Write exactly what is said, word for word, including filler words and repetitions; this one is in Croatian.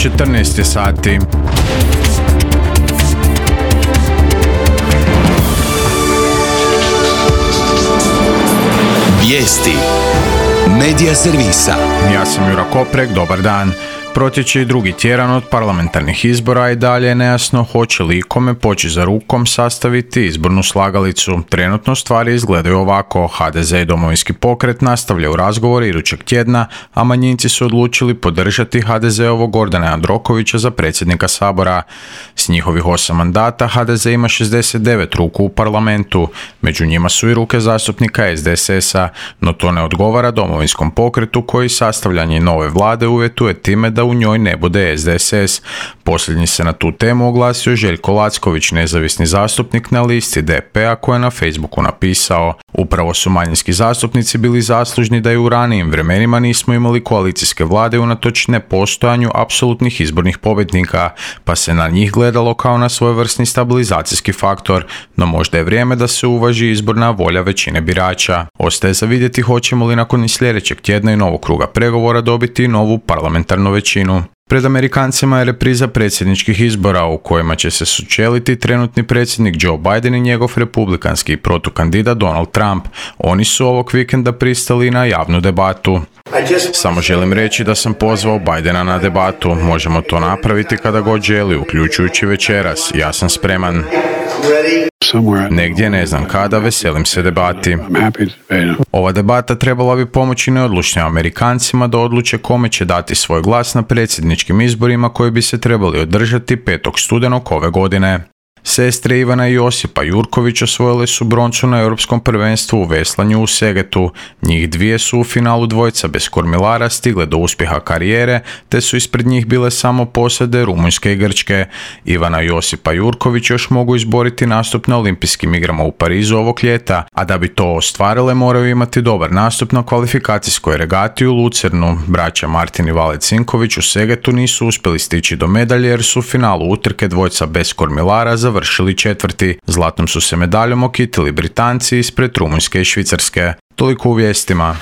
četrnaest sati. Vijesti Medija servisa. Ja sam Jura Koprek, dobar dan. Protječe i drugi tjedan od parlamentarnih izbora i dalje je nejasno hoće li kome poći za rukom sastaviti izbornu slagalicu. Trenutno stvari izgledaju ovako. ha de ze i Domovinski pokret nastavljaju razgovore idućeg tjedna, a manjinci su odlučili podržati ha de zeovog Gordana Jandrokovića za predsjednika Sabora. S njihovih osam mandata ha de ze ima šezdeset devet ruku u parlamentu. Među njima su i ruke zastupnika es de es esa, no to ne odgovara Domovinskom pokretu koji sastavljanje nove vlade uvjetuje time da u njoj ne bude es de es es. Posljednji se na tu temu oglasio Željko Lacković, nezavisni zastupnik na listi de pe a, koji je na Facebooku napisao: upravo su manjinski zastupnici bili zaslužni da i u ranijim vremenima nismo imali koalicijske vlade unatoč nepostojanju apsolutnih izbornih pobjednika, pa se na njih gledalo kao na svojevrsni stabilizacijski faktor, no možda je vrijeme da se uvaži izborna volja većine birača. Ostaje za vidjeti hoćemo li nakon i sljedećeg tjedna i novog kruga pregovora dobiti novu parlamentarnu većinu. Pred Amerikancima je repriza predsjedničkih izbora u kojima će se sučeliti trenutni predsjednik Joe Biden i njegov republikanski protukandidat Donald Trump. Oni su ovog vikenda pristali na javnu debatu. Samo želim reći da sam pozvao Bidena na debatu. Možemo to napraviti kada god želi, uključujući večeras. Ja sam spreman. Negdje, ne znam kada, veselim se debati. Ova debata trebala bi pomoći neodlučnim Amerikancima da odluče kome će dati svoj glas na predsjedničkim izborima koji bi se trebali održati petog studenog ove godine. Sestre Ivana i Josipa Jurković osvojile su broncu na europskom prvenstvu u veslanju u Segetu. Njih dvije su u finalu dvojca bez kormilara stigle do uspjeha karijere, te su ispred njih bile samo posade Rumunjske i Grčke. Ivana i Josipa Jurković još mogu izboriti nastup na olimpijskim igrama u Parizu ovog ljeta, a da bi to ostvarile moraju imati dobar nastup na kvalifikacijskoj regati u Lucernu. Braća Martin i Vale Cinković u Segetu nisu uspjeli stići do medalje jer su u finalu utrke dvojca bez kormilara završili četvrti. Zlatnom su se medaljom okitili Britanci ispred Rumunjske i Švicarske. Toliko u vijestima.